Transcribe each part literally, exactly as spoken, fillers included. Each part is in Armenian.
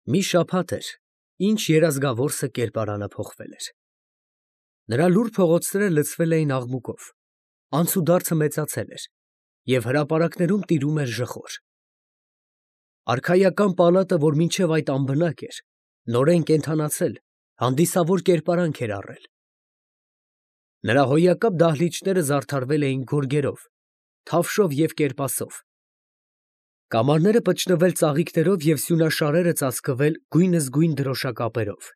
Մի շաբաթ էր, ինչ երազգավորսը կերպարանը փոխվել էր. նրա լուռ փողոցները լցվել էին աղմուկով, անցուդարձը մեծացել էր և հրապարակներում տիրում էր ժխոր. արքայական պալատը, որ մինչև այդ անբնակ էր, նորեն կենդանացել, հանդիսավոր կերպարանք էր առել. նրա հոյակապ դահլիճները զարդարվել էին գորգերով, թավշով և կերպասով, կամարները պճնվել ծաղիկներով և սյունաշարերը ծածկվել գույնզգույն դրոշակապերով.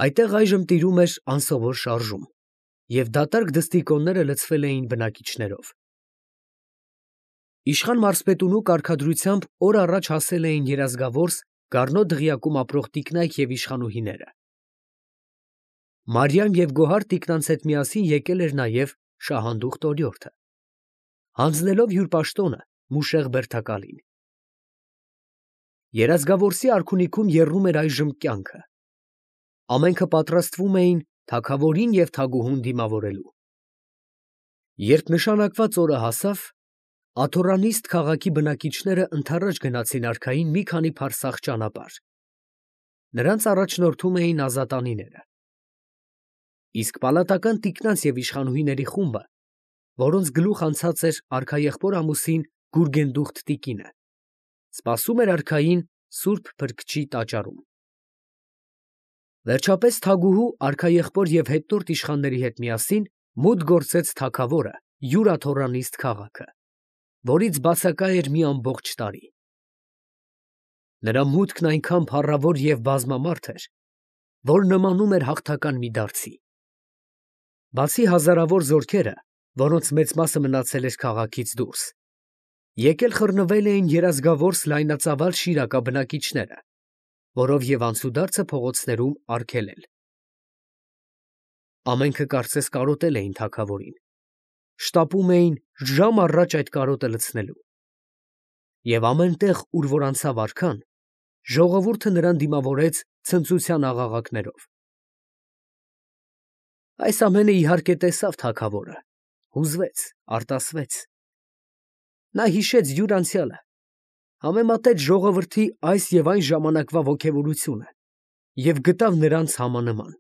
այնտեղ այժմ տիրում էր անսովոր շարժում, և դատարկ դստիկոնները լցվել էին բնակիչներով. իշխան մարզպետունու կարգադրությամբ օր առաջ հասել էին երազգավորս Գառնո դղյակում ապրող տիկնայք և իշխանուհիները. Մարիամ և Գոհար տիկնանց հետ միասին եկել էր նաև շահանդուխտ օրիորդը, հանձնելով հյուր պաշտոնը Մուշեղ Բերդակալին. երազգավորսի արքունիքում եռում էր այժմ կյանքը. ամենքը պատրաստվում էին թագավորին և թագուհուն դիմավորելու: Երբ նշանակված օրը հասավ, աթոռանիստ քաղաքի բնակիչները ընդառաջ գնացին արքային մի քանի փարսաղ ճանապարհ. նրանց առաջնորդում էին ազատանիները: Իսկ պալատական տիկնանց և իշխանուհիների խումբը, որոնց գլուխ անցած էր արքաեղբոր ամուսին Գուրգենդուխտ տիկինը, սպասում էր արքային Սուրբ Փրկչի տաճարում: Վերջապես թագուհու, արքաեղբոր և հետնորդ իշխանների հետ միասին մուտք գործեց թագավորը յուր աթոռանիստ քաղաքը, որից բացակա էր մի ամբողջ տարի: Նրա մուտքն այնքան փառավոր և բազմամարդ էր, որ նմանում էր հաղթական մի դարձի: Բացի հազարավոր զորքերը, որոնց մեծ մասը մնացել էր քաղաքից դուրս, եկել խռնվել էին երազգավորս լայնածավալ Շիրակա բնակիչները, որով և անցուդարձը փողոցներում արգելել: Ամենքը կարծես կարոտել էին թագավորին, շտապում էին ժամ առաջ այդ կարոտը լցնելու: Եվ ամեն տեղ, ուր որ անցավ արքան, ժողովուրդը նրան դիմավորեց ցնծության աղաղակներով: Այս ամենը իհարկե տեսավ թագավորը, հուզվեց, արտասվեց: Նա հիշեց յուր անցյալը, համեմատեց ժողովրդի այս և այն ժամանակվա ոգևորությունը և գտավ նրանց համանման: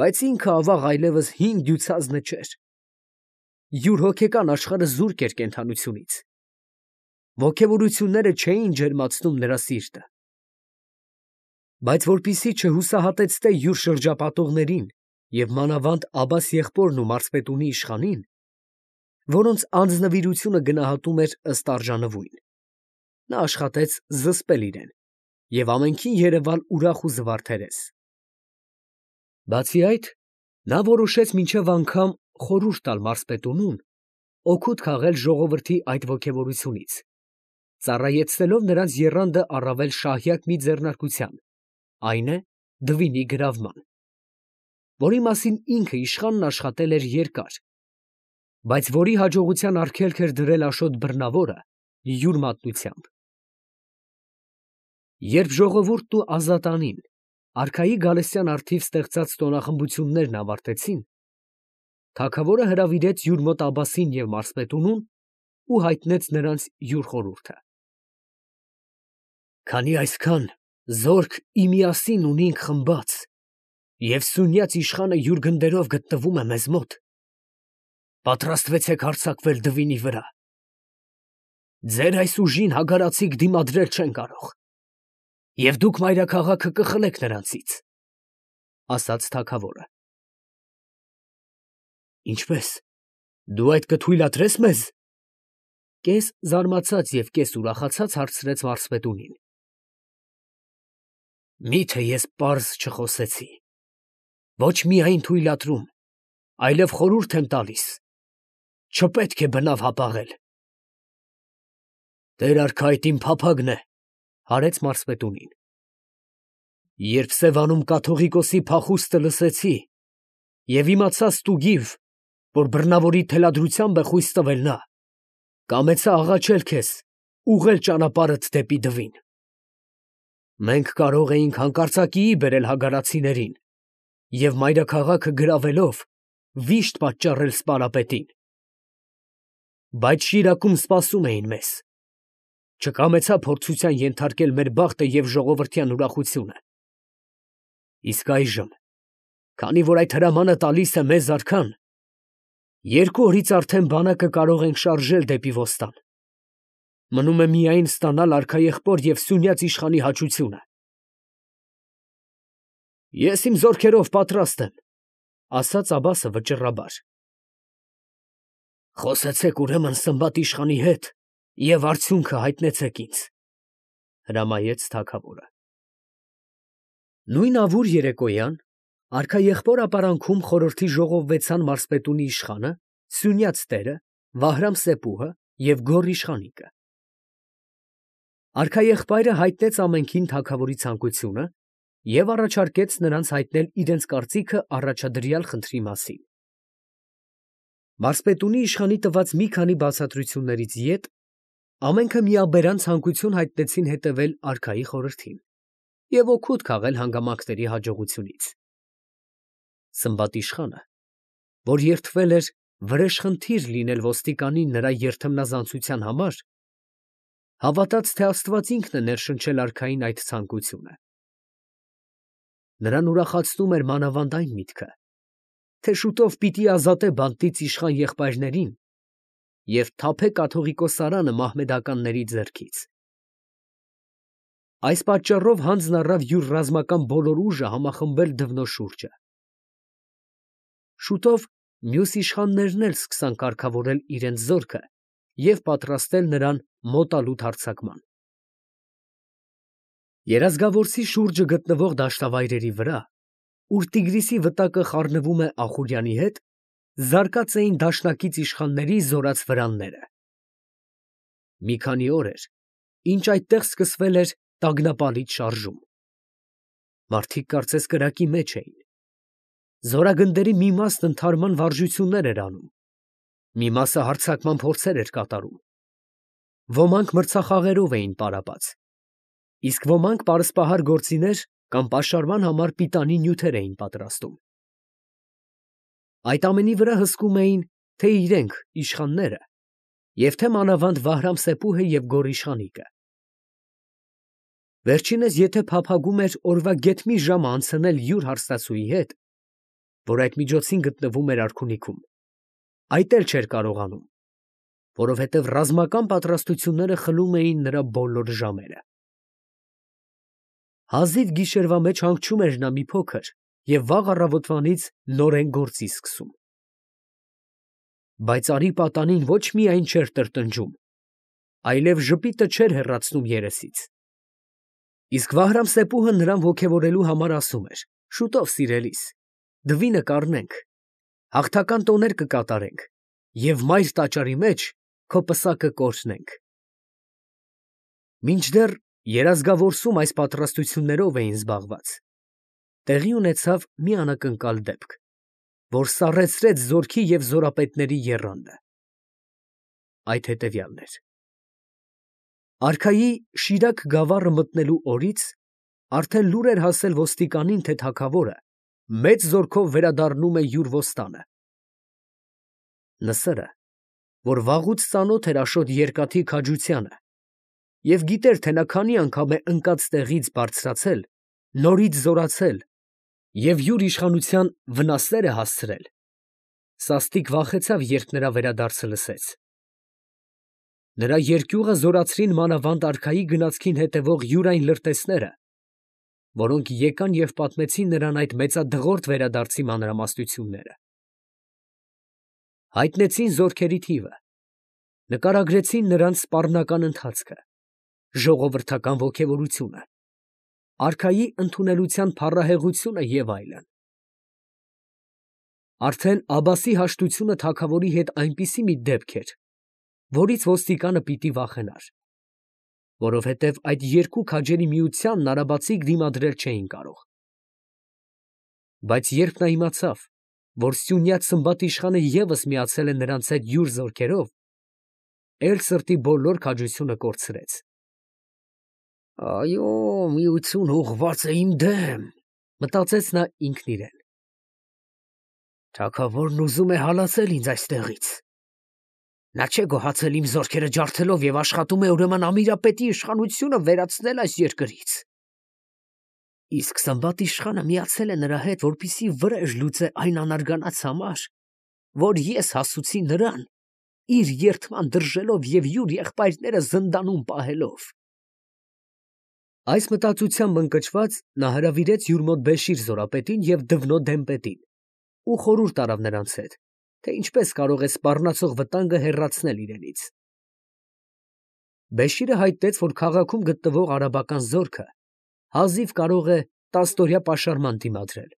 Բայց ինքը, ավաղ, այլևս հին դյուցազնը չէր: Յուր հոգեկան աշխարհը զուրկ էր կենդանությունից: Ոգևորությունները չէին ջերմացնում նրա սիրտը: Բայց որպեսզի չհուսահատեցնե յուր շրջապատողներին և մանավանդ Աբբաս եղբորն ու մարզպետունի իշխանին, որոնց անձնվիրությունը գնահատում էր ըստ արժանվույն, նա աշխատեց զսպել իրեն և ամենքին երևալ ուրախ ու զվարթերես: Բացի այդ, նա որոշեց մինչև անգամ խորհուրդ տալ մարզպետունուն օգուտ քաղել ժողովրդի այդ ոգևորությունից, ծառայեցնելով նրանց եռանդը առավել շահյակ մի ձեռնարկության, այն է դվինի գրավման, որի մասին ինքը իշխանն աշխատել էր երկար, բայց որի հաջողության արգելք էր դրել Աշոտ Բռնավորը յուր մատնությամբ: Երբ ժողովուրդն ու ազատանին արքայի գալստյան առթիվ ստեղծած տոնախմբություններն ավարտեցին, թագավորը հրավիրեց յուր մոտ Աբբասին և մարզպետունուն ու հայտնեց նրանց յուր խորհուրդը: Քանի այսքան զորք ի միասին ունինք խմբած և սունյաց իշխանը յուր գնդերով գտնվում է մեզ մոտ, պատրաստվեցեք հարձակվել Դվինի վրա: Ձեր այս ուժին հագարածիկ դիմադրել չեն կարող և դուք մայրաքաղաքը կխլեք նրանցից, ֊ ասաց թագավորը: ֊ Ինչպե՞ս, դու այդ կթույլատրե՞ս մեզ, ֊ կես զարմացած և կես ուրախացած հարցրեց մարզպետունին: Մի՞թե ես պարզ չխոսեցի, ոչ միայն թույլատրում, այլև խորհուրդ եմ տալիս, չպետք է բնավ հապաղել: Տեր֊արքա, այդ իմ փափագն է, ֊ հարեց մարզպետունին: Երբ Սևանում կաթողիկոսի փախուստը լսեցի և իմացա ստուգիվ, որ բռնավորի թելադրությամբ է խույս տվել նա, կամեցա աղաչել քեզ, ուղղել ճանապարհդ դեպի Դվին: Մենք կարող էինք հանկարծակիի բերել հագարացիներին և մայրաքաղաքը գրավելով վիշտ պատճառել սպարապետին: Բայց Շիրակում սպասում էին մեզ, չկամեցա փորձության ենթարկել մեր բախտը և ժողովրդյան ուրախությունը։ Իսկ այժմ, քանի որ այդ հրամանը տալիս է մեզ արքան, երկու օրից արդեն բանակը կարող ենք շարժել դեպի Ոստան. մնում է միայն ստանալ արքաեղբոր և սյունյաց իշխանի հաճությունը։ Ես իմ զորքերով պատրաստ եմ, ֊ ասաց Աբբասը վճռաբար։ Խոսեցեք ուրեմն Սմբատ իշխանի հետ և արդյունքը հայտնեցեք ինձ, ֊ հրամայեց թագավորը։ Նույն ավուր երեկոյան արքաեղբոր ապարանքում խորհրդի ժողովվեցան մարզպետունի իշխանը, սյունյաց տերը, Վահրամ-Սեփուհը և Գոռ իշխանիկը։ Արքաեղբայրը հայտնեց ամենքին թագավորի ցանկությունը և առաջարկեց նրանց հայտնել իրենց կարծիքը առաջադրյալ խնդրի մասին։ Մարզպետունի իշխանի տված մի քանի բացատրություններից ետ ամենքը միաբերան ցանկություն հայտնեցին հետևել արքայի խորհրդին և օգուտ քաղել հանգամանքների հաջողությունից։ Սմբատ իշխանը, որ երդվել էր վրեժխնդիր լինել ոստիկանին նրա երդմնազանցության համար, հավատաց, թե Աստված ինքն է ներշնչել արքային այդ ցանկությունը։ Նրան ուրախացնում էր մանավանդ այն միտքը, թե շուտով պիտի ազատե բանտից իշխան եղբայրներին և թափե կաթողիկոսարանը մահմեդականների ձեռքից։ Այս պատճառով հանձն առավ յուր ռազմական բոլոր ուժը համախմբել դվնո շուրջը։ Շուտով մյուս իշխաններն էլ սկսան կարգավորել իրենց զորքը և պատրաստել նրան մոտալուտ հարձակման։ Երազգավորսի շուրջը գտնվող դաշտավայրերի վրա, ուր Տիգրիսի վտակը խառնվում է Ախուրյանի հետ, զարկած էին դաշնակից իշխանների զորաց վրանները։ Մի քանի օր էր, ինչ այդտեղ սկսվել էր տագնապալից շարժում։ Մարդիկ կարծես կրակի մեջ էին։ Զորագնդերի մի մասն ընդհարման վարժություններ էր անում, մի մասը հարձակման փորձեր էր կատարում։ Ոմանք մրցախաղերով էին պարապած, իսկ ոմանք պարսպահար գործիներ կամ պաշարման համար պիտանի նյութեր էին պատրաստում։ Այդ ամենի վրա հսկում էին թե իրենք, իշխանները, և թե մանավանդ Վահրամ-Սեփուհը և Գոռ իշխանիկը։ Վերջինս եթե փափագում էր օրվա գեթ մի ժամը անցնել յուր հարստացուի հետ, որ այդ միջոցին գտնվում էր արքունիքում, այդ էլ չէր կարողանում, որովհետև ռազմական պատրաստությունները խլում էին նրա բոլոր ժամերը։ Հազիվ գիշերվա մեջ հանգչում էր նա մի փոքր և վաղ առավոտվանից նորեն գործի սկսում։ Բայց արի պատանին ոչ միայն չէր տրտնջում, այլև ժպիտը չէր հեռացնում երեսից։ Իսկ Վահրամ-Սեփուհը նրան ոգևորելու համար ասում էր. «Շուտով, սիրելիս, դվինը կառնենք, հաղթական տոներ կկատարենք և մայր տաճարի մեջ քո պսակը կօրհնենք»։ Մինչդեռ Երազգավորսում այս պատրաստություններով էին զբաղված, տեղի ունեցավ մի անակնկալ դեպք, որ սառեցրեց զորքի և զորապետների եռանդը։ Այդ հետևյալն էր. արքայի Շիրակ գավառը մտնելու օրից արդեն լուր էր հասել ոստիկանին, թե թագավորը մեծ զորքով վերադառնում է յուր ոստանը։ Նսրը, որ վաղուց ծանոթ էր Աշոտ Երկաթի քաջությանը և գիտեր, թե նա քանի անգամ է ընկած տեղից բարձրացել, նորից զորացել և յուր իշխանության վնասներ է հասցրել, սաստիկ վախեցավ, երբ նրա վերադարձը լսեց։ Նրա երկյուղը զորացրին մանավանդ արքայի գնացքին հետևող յուր այն լրտեսները, որոնք եկան և պատմեցին նրան այդ մեծադղորդ վերադարձի մանրամասնությունները։ Հայտնեցին զորքերի թիվը, նկարագրեցին նրանց սպառնական ընթացքը, ժողովրդական ոգևորությունը, արքայի ընդունելության փառահեղությունը և այլն։ Արդեն Աբբասի հաշտությունը թագավորի հետ այնպիսի մի դեպք էր, որից ոստիկանը պիտի վախենար, որովհետև այդ երկու քաջերի միությանն արաբացիք դիմադրել չէին կարող։ Բայց երբ նա իմացավ, որ սյունյաց Սմբատ իշխանը ևս միացել է նրանց հետ յուր զորքերով, էլ սրտի բոլոր քաջությունը կորցրեց։ «Այո, միությունը ուղղված է իմ դեմ, ֊ մտածեց նա ինքն իրեն։ Թագավորն ուզում է հալածել ինձ այստեղից։ Նա չէ գոհացել իմ զորքերը ջարդելով եւ աշխատում է ուրեմն Ամիրապետի իշխանությունը վերացնել այս երկրից։ Իսկ Սմբատ իշխանը միացել է նրա հետ, որպեսզի վրեժ լուծե այն անարգանած համար, որ ես հասուցի նրան, իր երդման դրժելով եւ յուր եղբայրները զնդանում պահելով։ Այս մտածությամբ ընկճված նա հրավիրեց յուր մոտ Բեշիր զորապետին եւ Դվնո դեմպետին ու խորհուրդ արավ նրանց հետ, թե ինչպես կարող է սպառնացող վտանգը հեռացնել իրենից։ Բեշիրը հայտնեց, որ քաղաքում գտնվող արաբական զորքը հազիվ կարող է տասնօրյա պաշարման դիմադրել,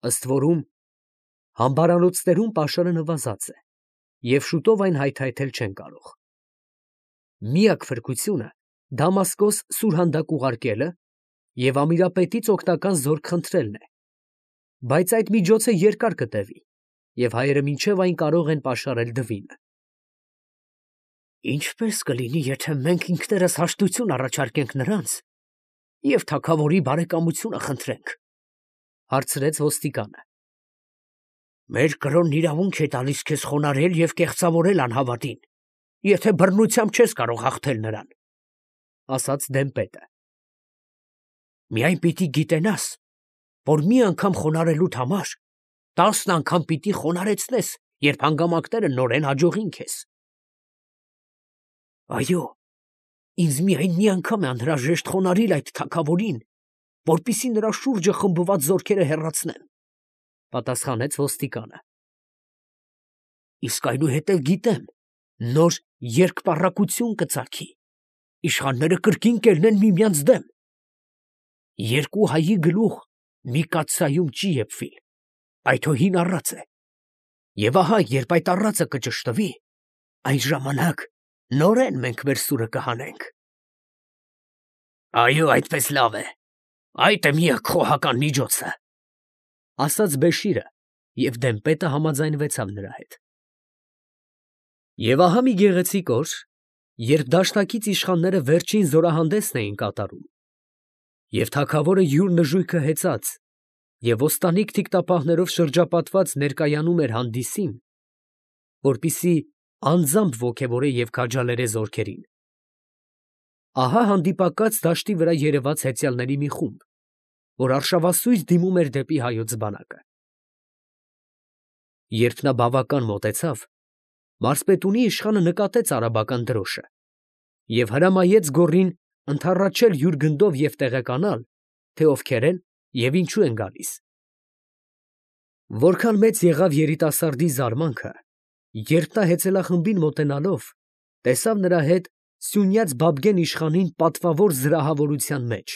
ըստ որում համբարանոցներում պաշարը նվազած է և շուտով այն հայթայթել չեն կարող։ Միակ փրկությունը Դամասկոս սուրհանդակ ուղարկելը և Ամիրապետից օգնական զորք խնդրելն է, բայց այդ միջոցը երկար կտևի, և հայերը մինչև այն կարող են պաշարել Դվինը։ Ինչպե՞ս կլինի, եթե մենք ինքներս հաշտություն առաջարկենք նրանց և թագավորի բարեկամությունը խնդրենք, ֊ հարցրեց ոստիկանը։ Մեր կրոնն իրավունք է տալիս քեզ խոնարհել և կեղծավորել անհավատին, եթե բռնությամբ չես կարող հաղթել նրան, ֊ ասաց դեմպետը։ Միայն պիտի գիտենաս, որ մի անգամ խոնարհելուդ համար տասն անգամ պիտի խոնարհեցնես, երբ հանգամանքները նորեն հաջողին քեզ։ Այո, ինձ միայն մի անգամ է անհրաժեշտ խոնարհել այդ թագավորին, որպեսզի նրա շուրջը խմբված զորքերը հեռացնեմ, ֊ պատասխանեց ոստիկանը։ Իսկ այնուհետև գիտեմ, նոր երկպառակություն կծագի, իշխանները կրկին կելնեն միմյանց դեմ։ Երկու հայի գլուխ մի կաթսայում չի եփվիլ, այդ հո հին առած է, և ահա, երբ այդ առածը կճշտվի, այն ժամանակ նորեն մենք մեր սուրը կհանենք։ Այո, այդպես լավ է, այդ է միակ խոհական միջոցը, ֊ ասաց Բեշիրը, և դեմպետը համաձայնվեցավ նրա հետ։ Եվ ահա մի գեղեցիկ օր, երբ դաշնակից իշխանները վերջին զորահանդեսն էին կատարում, և թագավորը յուր նժույգը հեծած և ոստանիկ թիկտապահներով շրջապատված ներկայանում էր հանդիսին, որպեսզի անձամբ ոգևորե և քաջալերե զորքերին, ահա հանդիպակաց դաշտի վրա երևաց հեծյալների մի խումբ, որ արշավասույզ դիմում էր դեպի հայոց բանակը։ Երբ նա բավական մոտեցավ, մարզպետունի իշխանը նկատեց արաբական դրոշը և հրամայեց գոռին ընդառաջել յուր գնդով և տեղեկանալ, թե ովքեր են և ինչու են գալիս։ Որքան մեծ եղավ երիտասարդի զարմանքը, երբ նա հեծելախմբին մոտենալով տեսավ նրա հետ Սյունյաց Բաբգեն իշխանին պատվավոր զրահավորության մեջ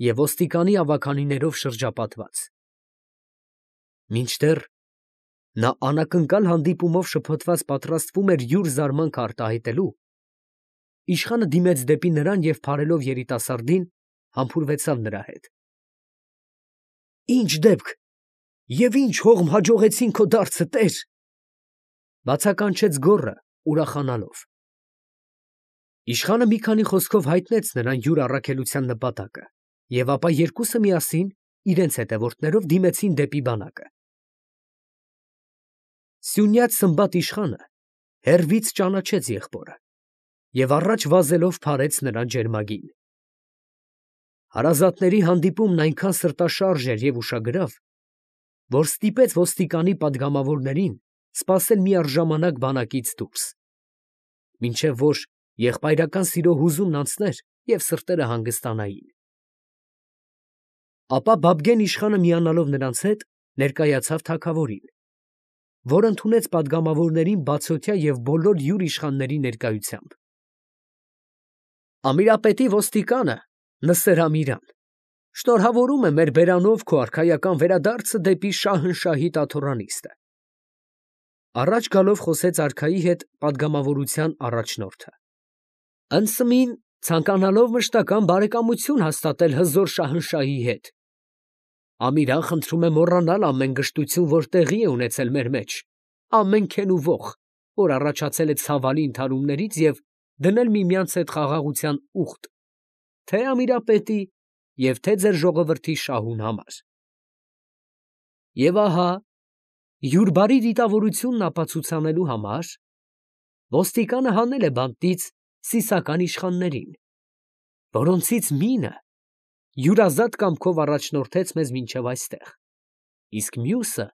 և ոստիկանի ավագանիներով շրջապատված։ Մինչդեռ նա անակնկալ հանդիպումով շփոթված պատրաստվում էր յուր զարմանքը արտահայտելու, իշխանը դիմեց դեպի նրան և փարելով երիտասարդին, համբուրվեցավ նրա հետ։ Ի՞նչ դեպք և ի՞նչ հողմ հաջողեցին քո դարձը, տեր, ֊ բացականչեց գոռը ուրախանալով։ Իշխանը մի քանի խոսքով հայտնեց նրան յուր առաքելության նպատակը, և ապա երկուսը միասին իրենց հետևորդներով դիմեցին դեպի բանակը։ Սյունյաց Սմբատ իշխանը հեռվից ճանաչեց եղբորը և առաջ վազելով փարեց նրան ջերմագին։ Հարազատների հանդիպումն այնքան սրտաշարժ էր և ուշագրավ, որ ստիպեց ոստիկանի պատգամավորներին սպասել միառժամանակ բանակից դուրս, մինչև որ եղբայրական սիրո հուզումն անցներ և սրտերը հանգստանային։ Ապա Բաբգեն իշխանը միանալով նրանց հետ, ներկայացավ թագավորին, որ ընդունեց պատգամավորներին բացօթյա և բոլոր յուր իշխանների ներկայությամբ։ Ամիրապետի ոստիկանը Նսեր Ամիրան շնորհավորում է մեր բերանով քո արքայական վերադարձը դեպի Շահնշահի տաթոռանիստը, ֊ առաջ գալով խոսեց արքայի հետ պատգամավորության առաջնորդը, ֊ Ընդսմին ցանկանալով մշտական բարեկամություն հաստատել հզոր Շահնշահի հետ, Ամիրան խնդրում է մոռանալ ամեն գժտություն, որ տեղի է ունեցել մեր մեջ, ամեն քեն ու ոխ, որ առաջացել է ցավալի ընդհարումներից, և դնել միմյանց հետ խաղաղության ուխտ, թե՛ Ամիրապետի և թե՛ ձեր ժողովրդի շահուն համար։ Եվ ահա յուր բարի դիտավորությունն ապացուցանելու համար ոստիկանը հանել է բանտից սիսական իշխաններին, որոնցից մինը յուրազատ կամքով առաջնորդեց մեզ մինչև այստեղ, իսկ մյուսը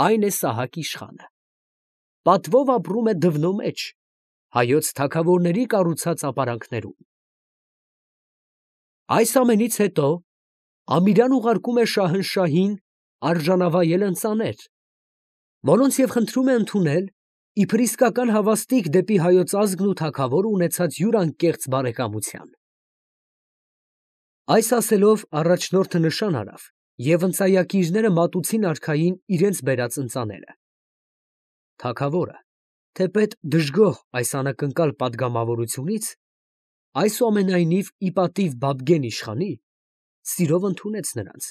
այն է Սահակ իշխանը, պատվով ապրում է դվնո մեջ, հայոց թագավորների կառուցած ապարանքներում։ Այս ամենից հետո Ամիրյան ուղարկում է Շահնշահին արժանավայել ընծաներ, որոնց և խնդրում է ընդունել իբր իսկական հավաստիք դեպի հայոց ազգն ու թագավորը ունեցած յուրանկեղծ բարեկամության։ Այս ասելով առաջնորդը նշան արավ և ընծայակիրները մատուցին արքային իրենց բերած ընծաները։ Թագավորը, թեպետ դժգոհ այս անակնկալ պատգամավորությունից, այսուամենայնիվ ի պատիվ Բաբգեն իշխանի, սիրով ընդունեց նրանց,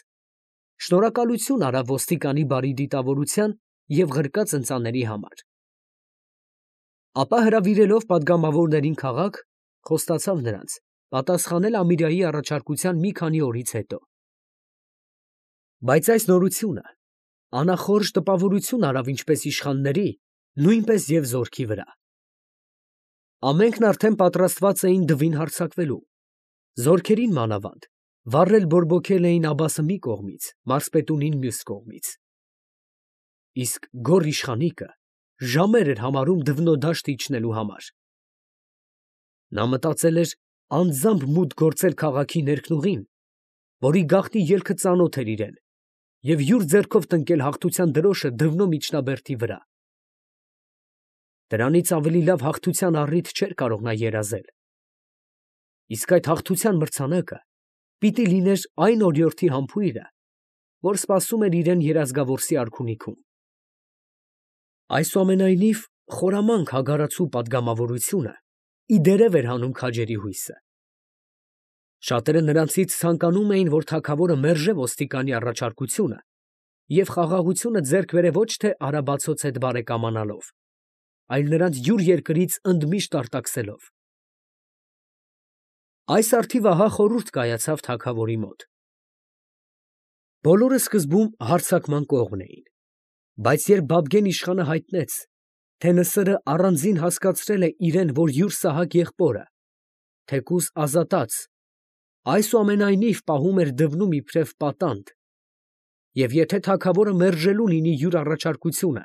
շնորհակալություն արավ ոստիկանի բարի դիտավորության և ղրկած ընծաների համար, ապա հրավիրելով պատգամավորներին քաղաք, խոստացավ նրանց պատասխանել Ամիրյայի առաջարկության մի քանի օրից հետո։ Բայց այս նորությունը անախորժ տպավորություն արավ ինչպես իշխանների, նույնպես և զորքի վրա։ Ամենքն արդեն պատրաստված էին դվին հարձակվելու, զորքերին մանավանդ վառել բորբոքել էին Աբասը մի կողմից, մարզպետունին մյուս կողմից։ Իսկ գոռ իշխանիկը ժամեր էր համարում դվնո դաշտ իջնելու համար։ Նա մտածել էր անձամբ մուտք գործել քաղաքի ներքնուղին, որի գաղտնի ելքը ծանոթ էր իրեն, և յուր ձեռքով տնկել հաղթության դրոշը դվնո միջնաբերդի վրա։ Դրանից ավելի լավ հաղթության առիթ չէր կարող նա երազել։ Իսկ այդ հաղթության մրցանակը պիտի լիներ այն օրիորդի համբույրը, որ սպասում էր իրեն Երազգավորսի արքունիքում։ Այսուամենայնիվ խորամանկ հագարացու պատգամավորությունը ի դերև էր հանում քաջերի հույսը։ Շատերը նրանցից ցանկանում էին, որ թագավորը մերժե ոստիկանի առաջարկությունը և խաղաղությունը ձեռք բերե ոչ թե արաբացոց հետ բարեկամանալով, այլ նրանց յուր երկրից ընդմիշտ արտաքսելով։ Այս առթիվ ահա խորհուրդ կայացավ թագավորի մոտ։ Բոլորը սկզբում հարձակման կողմն էին, բայց երբ Բաբգեն իշխանը հայտնեց, թե Նսրը առանձին հասկացրել է իրեն, որ յուր Սահակ եղբորը, թեկուզ ազատած, այսուամենայնիվ պահում էր դվնում իբրև պատանդ, և եթե թագավորը մերժելու լինի յուր առաջարկությունը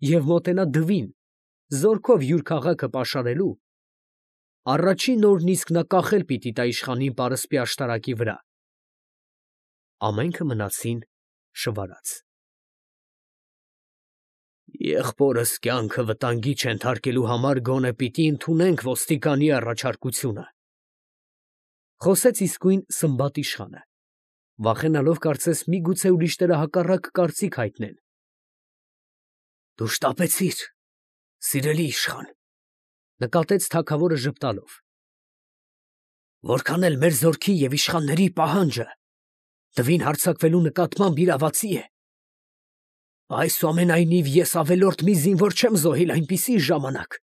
և մոտենա դվին, զորքով յուր քաղաքը պաշարելու, առաջին օրն իսկ նա կախել պիտի տա իշխանին պարսպի աշտարակի վրա։ Ամենքը մնացին շվարած։ Եղբորս կյանքը վտանգի չենթարկելու համար գոնե պիտի ընդունենք ոստիկանի առաջարկությունը, խոսեց իսկույն Սմբատ իշխանը, վախենալով կարծես միգուցե ուրիշները հակառակ կարծիք հայտնեն։ Դու շտապեցիր, սիրելի իշխան, նկատեց թագավորը ժպտալով։ Որքան էլ մեր զորքի և իշխանների պահանջը դվին հարձակվելու նկատմամբ իրավացի է, այսուամենայնիվ ես ավելորդ մի զինվոր չեմ զոհել այնպիսի ժամանակ,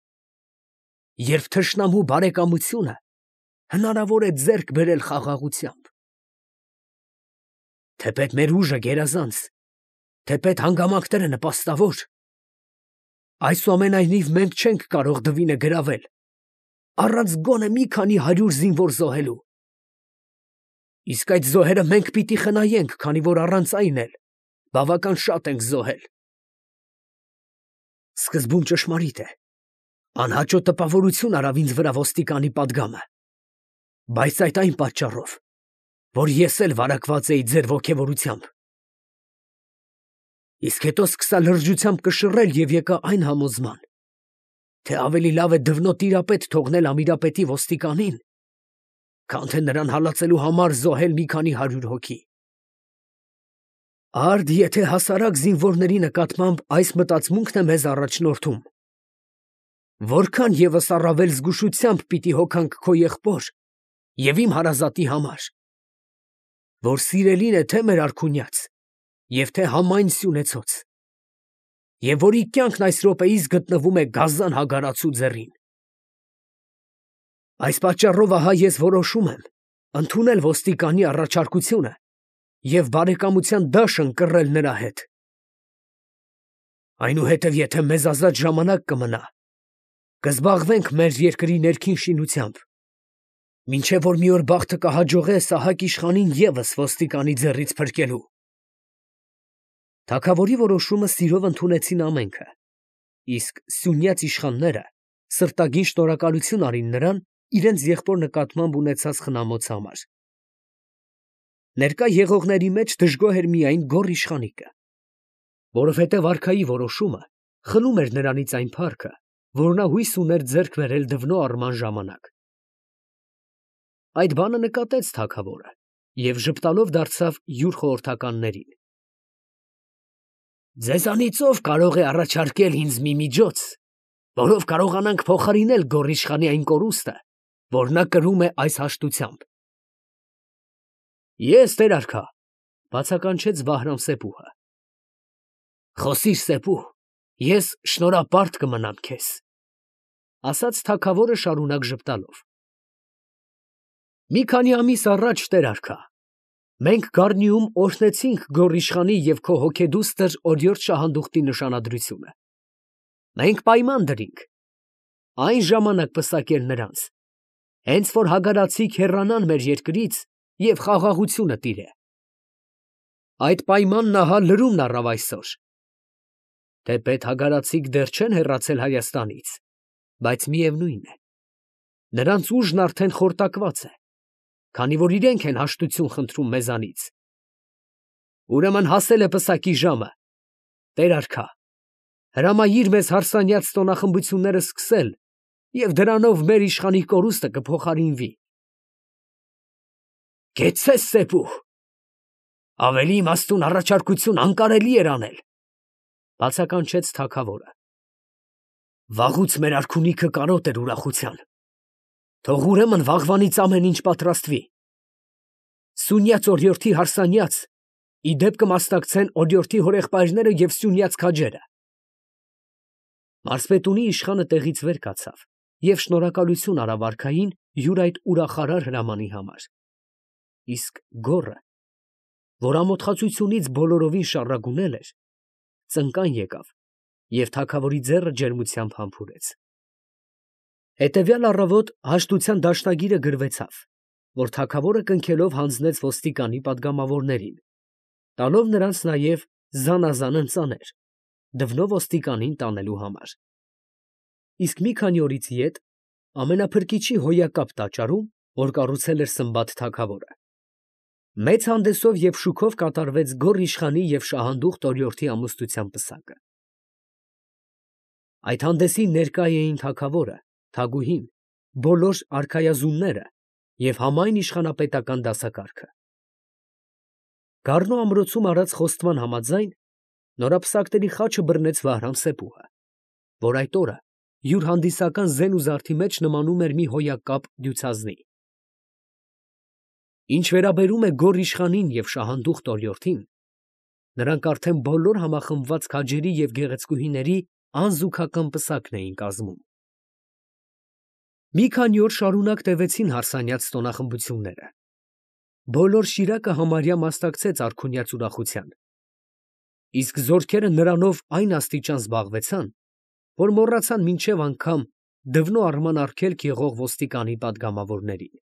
երբ թշնամու բարեկամությունը հնարավոր է ձեռք բերել խաղաղությամբ։ Թեպետ մեր ուժը գերազանց, թեպետ հանգամանքները նպաստավոր, այսուամենայնիվ մենք չենք կարող դվինը գրավել, առանց գոնե մի քանի հարյուր զինվոր զոհելու։ Իսկ այդ զոհերը մենք պիտի խնայենք, քանի որ առանց այն էլ բավական շատ ենք զոհել։ Սկզբում ճշմարիտ է, անհաճո տպավորություն արավ ինձ վրա ոստիկանի պատգամը, բայց այդ այն պատճառով, որ ես էլ վարակված էի ձեր ոգևորությամբ։ Իսկ հետո սկսա լրջությամբ կշռել և եկա այն համոզման, թե ավելի լավ է դվնո տիրապետ թողնել Ամիրապետի ոստիկանին, քան թե նրան հալածելու համար զոհել մի քանի հարյուր հոգի։ Արդ եթե հասարակ զինվորների նկատմամբ այս մտածմունքն է մեզ առաջնորդում, որքան ևս առավել զգուշությամբ պիտի հոգանք քո եղբոր և իմ հարազատի համար, որ սիրելին է թե մեր արքունյաց և թե համայն սյունեցոց, և որի կյանքն այս րոպեիս գտնվում է գազան հագարացու ձեռին։ Այս պատճառով ահա ես որոշում եմ ընդունել ոստիկանի առաջարկությունը և բարեկամության դաշ ընկռել նրա հետ։ Այնուհետև եթե մեզ ազատ ժամանակ կմնա, Կզբաղվենք մեր երկրի ներքին շինությամբ, մինչև որ մի օր բախտը կհաջողե Սահակ իշխանին ևս ոստիկանի ձեռից փրկելու։ Թագավորի որոշումը սիրով ընդունեցին ամենքը, իսկ սյունյաց իշխանները սրտագին շնորհակալություն արին նրան իրենց եղբոր նկատմամբ ունեցած խնամոց համար։ Ներկա եղողների մեջ դժգոհ էր միայն Գոռ իշխանիկը, որովհետև արքայի որոշումը խլում էր նրանից այն փառքը, որ նա հույս ուներ ձեռք բերել դվնո առման ժամանակ։ Այդ բանը նկատեց թագավորը և ժպտալով դարձավ յուր խորհրդականներին. «Ձեզանից ո՞վ կարող է առաջարկել ինձ մի միջոց, որով կարողանանք փոխարինել Գոռ իշխանի այն կորուստը, որ նա կրում է այս հաշտությամբ»։ «Ես, տեր արքա», ֊ բացականչեց Բահրամ֊Սեպուհը։ «Խոսիր, Սեպուհ, ես շնորհապարտ կմնամ քեզ», ֊ ասաց թագավորը շարունակ ժպտալով։ «Մի քանի ամիս առաջ, տեր արքա, մենք Գառնիում օրհնեցինք Գոռ իշխանի և քո հոգեդուստր օրիորդ Շահանդուխտի նշանադրությունը։ Մենք պայման դրինք այն ժամանակ պսակել նրանց, հենց որ հագարացիք հեռանան մեր երկրից և խաղաղությունը տիրե։ Այդ պայմանն ահա լրումն առավ այսօր։ Թեպետ հագարացիք դեռ չեն հեռացել Հայաստանից, բայց միևնույն է, նրանց ուժն արդեն խորտակված է, քանի որ իրենք են հաշտություն խնդրում մեզանից։ Ուրեմն հասել է պսակի ժամը, տեր արքա, հրամայիր մեզ հարսանյաց տոնախմբությունները սկսել և դրանով մեր իշխանի կորուստը կփոխարինվի»։ «Կեցցես, Սեպուհ, ավելի իմաստուն առաջարկություն անկարելի էր անել», ֊ բացականչեց թագավորը։ «Վաղուց մեր արքունիքը կարոտ էր ուրախության, թող ուրեմն վաղվանից ամեն ինչ պատրաստվի։ Սյունյաց օրիորդի հարսանյաց ի դեպ կմասնակցեն օրիորդի հորեղբայրները և սյունյաց քաջերը»։ Մարզպետունի իշխանը տեղից վեր կացավ և շնորհակալություն արավ արքային յուր այդ ուրախարար հրամանի համար, իսկ Գոռը, որ ամոթխածությունից բոլորովին շառագունել էր, ծնկան եկավ և թագավորի ձեռը ջերմությամբ համբուրեց։ Հետևյալ առավոտ հաշտության դաշնագիրը գրվեցավ, որ թագավորը կնքելով հանձնեց ոստիկանի պատգամավորներին, տալով նրանց նաև զանազան ընծաներ, դվնո ոստիկանին տանելու համար։ Իսկ մի քանի օրից ետ ամենափրկիչի հոյակապ տաճարում, որ կառուցել էր Սմբատ թագավորը, մեծ հանդեսով և շուքով կատարվեց Գոռ իշխանի և Շահանդուխտ օրիորդի ամուսնության պսակը։ Այդ հանդեսին ներկա էին թագավորը, թագուհին, բոլոր արքայազունները և համայն իշխանապետական դասակարգը։ Գառնու ամրոցում արած խոստման համաձայն նորապսակների խաչը բռնեց Վահրամ֊Սեպուհը, որ այդ օրը յուր հանդիսական զեն ու զարդի մեջ նմանում էր մի հոյակապ դյուցազնի։ Ինչ վերաբերում է Գոռ իշխանին և Շահանդուխտ օրիորդին, նրանք արդեն բոլոր համախմբված քաջերի և գեղեցկուհիների անզուգական պսակն էին կազմում։ Մի քանի օր շարունակ տևեցին հարսանյաց տոնախմբությունները։ Բոլոր Շիրակը համարյա մասնակցեց արքունյաց ուրախության, իսկ զորքերը նրանով այն աստիճան զբաղվեցան, որ մոռացան մինչև անգամ դվնո առման արգելք եղող ոստիկանի պատգամավորներին։